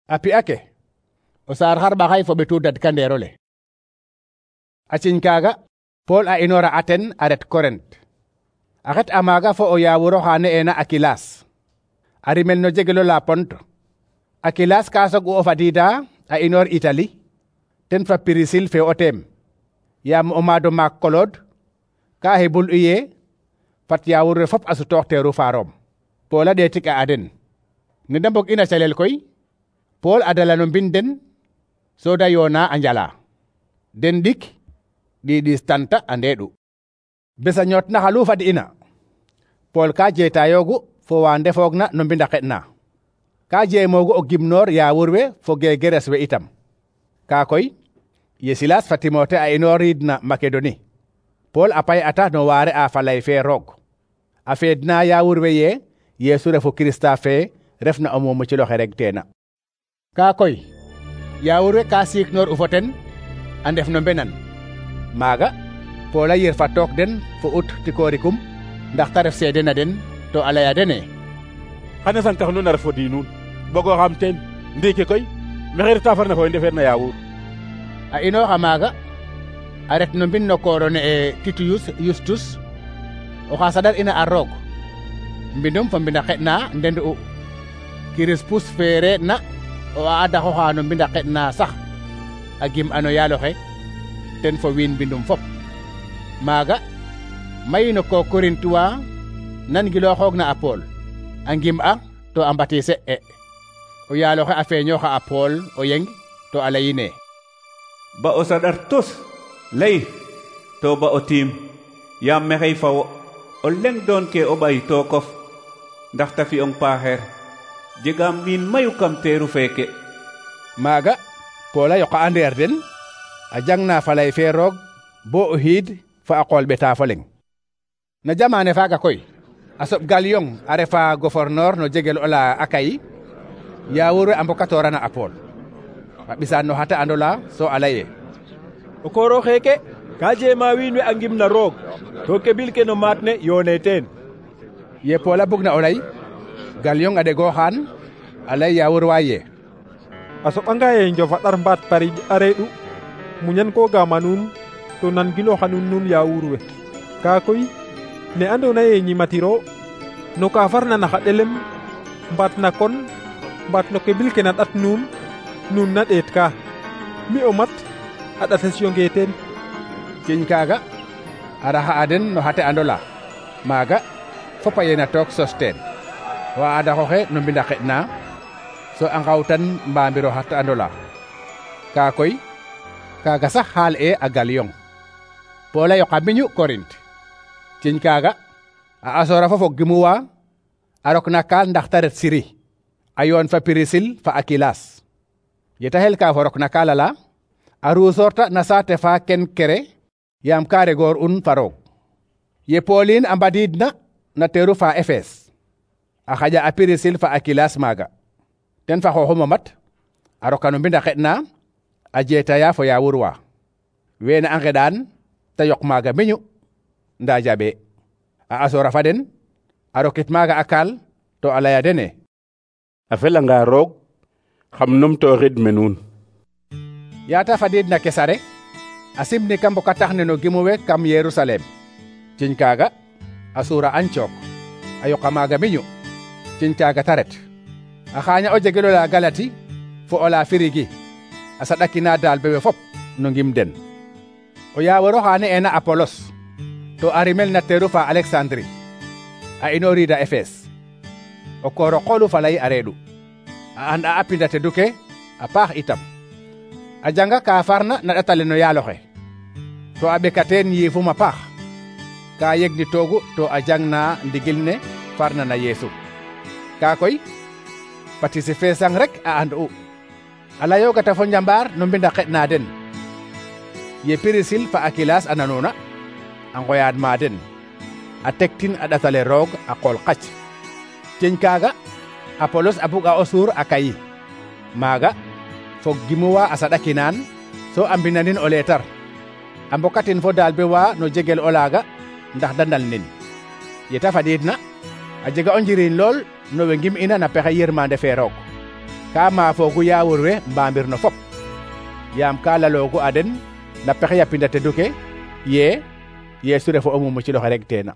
A pi'a ke o saar xarɓaxay fo ɓetu dadkandeerole. A ciñ kaaga Pool a inoora Aten a ret Korent. a xet a maaga fo o yaawur oxa ne'eena Akilas a rimel no jegelo la Pont. Akilas ka soog'u o fadiida a inoor Itali ten fa Pirisil fe o teem, yaam o maado maak Kolod ka hebul u yee fat yaawur we fop a sutoox teeru fa Rom. Pool a ɗeetik a aden. Ne da mbog ina calel koy Pool a dala no mbind den so da yoona a njala. Den ɗik ɗiɗis tanta a ndeeɗu. Besa ñoot na xalu fad'ina Pool ka jeetayoogu fo wa ndefoogna no mbind a xeɗna. Ka jeemoogu o gimnoor yaawur we fo geegeres we itam. Ka koy ye Silas fa Timote a inooriidna Makedoni, Pool a pay'ata no waare a falay fe Roog. A feedna yaawur we yee Yeesu refu Kirista fe refna o muumucil oxe regteena. Ka koy yaawur we ka siiknoor u fo ten a ndef no mbenan. Maaga Pool a yir fa took den fo ut tikoorikum ndax ta ref seede na den to a laya dene: xana santax nuun a ref fo diinuun bogo xam teen ndiiki koy maxey reta farna fo we ndefeerna yaawur. A inooxa maaga a ret no mbind no kooro ne'e Titiyus Yustus oxa saɗar ina a Roog. Mbindum fo mbind a xeɗna ndendu'u. Kirispus fe re'na o a adaxoxa no mbind a xeɗna sax a gim ano yaaloxe ten fo wiin mbindum fop. Maaga mayi no ko Korintuwa nangilooxoogna a Pool a ngim'a to a mbatise o yaaloxe a feeñooxa a Pool o yeng to a layine: ba o saɗar tos lay to ba o tiim, yaam maxey fa wo o leŋ doon ke o ɓay tookof ndax ta fi'ong paaxeer. jegaam wiin mayu kam teeru feeke. Maaga Pool a yoqa a ndeer den a jangna falay fe Roog bo o xiid fa a qool ɓeta fo leŋ. Na jamaane faaga koy a soɓ Galyon a refa gouverneur no jegel ola Akayi, yaawur we a mbokatoorana a Pool. A ɓisaan no xata andola so a laye: o kooro xeeke ka jeema wiin we a ngimna Roog to kebil ke no maat ne yoone teen. Ye Pool a bugna o lay, Galyon a ɗegooxaan a lay yaawur wa ye: a soɓanga ye njof a ɗar mbaat pariƴ a reeɗu muñan ko gama nuun to nan gilooxa nuun yaawur we. Kaa koy ne andoona ye ñimatiro no ka farna na xa ɗelem mbaat na kon mbaat no kebil ke na ɗat nuun na ɗeet ka mi o mat a ɗates yonge teen. Ciñ kaaga a raxa a den no xate andola. Maaga fop a yena took Sosteen wa adaxoxe no mbind a xeɗna so a ngawtan mbamir o xate andola. Kaa koy kaaga sax xaal e a Galyon. Pool a yoqa miñu Korint. Ciñ kaaga a asoora fo fog gimuwa a rok na kaal ndax ta ret Siri a yoon fa Pirisil fa Akilas. Yeta xel ka fo rok na kaala la a ruusoorta na saate fa Kenkere yaam ka regoor un fa Roog. Ye Poolin a mbadiidna na teeru fa Efes a xaƴa a Pirisil fa Akilas maaga. Ten fa xooxum o mat a roka no mbind a xeɗna a jeetaya fo yaawur wa. Weene a ngeɗaan ta yoq maaga miñu ndaa jaɓee. A asoora fa den a rokit maaga a kaal to a laya dene: a felanga Roog xam numtooxid me nuun. Yaata fadiidna Kesare a simni kam mbokatax ne no gimu we kam Yerusalem. Ciñ kaaga a suura Antiyok a yoqa maaga miñu. Ciñ kaaga ta ret a xaaña o jegelo la Galati fo o la Firigi a saɗakina daal bewe fop no ngim den. O yaawor oxa ne'eena Apolos to a rimel na teeru fa Aleksandri a inooriida Efes. O kooro qoolu falay a reeɗu a and a pinda tedu ke a paax itam. A janga ka farna na ɗatale no yaaloxe to a ɓekateen yiifum a paax. Ka yegni toogu to a jangna ndigil ne farna na Yeesu. Kaa koy patisi feesang rek a and'u. A layoogata fo njambaar no mbind a xeɗna den. Ye Pirisil fa Akilas a nanuuna a ngoyaad ma den a tektin a ɗatale Roog a qool qac. Ciñ kaaga Apolos a bug a o suur a Kayi. Maaga fog gimuwa a saɗakinaan so a mbinanin o leetar a mbokatin fo daalbe wa no jegel o laaga ndax da ndalnin. Yeta fadiidna a jega o njiriñ lool no we ngim'ina na pexe yirmande fe Roog. ka maafoogu yaawur we mbamir no fop yaam ka laloogu a den na pexe ya pinda tedu ke ye Yeesu refo o muumuk ci loxe rek teena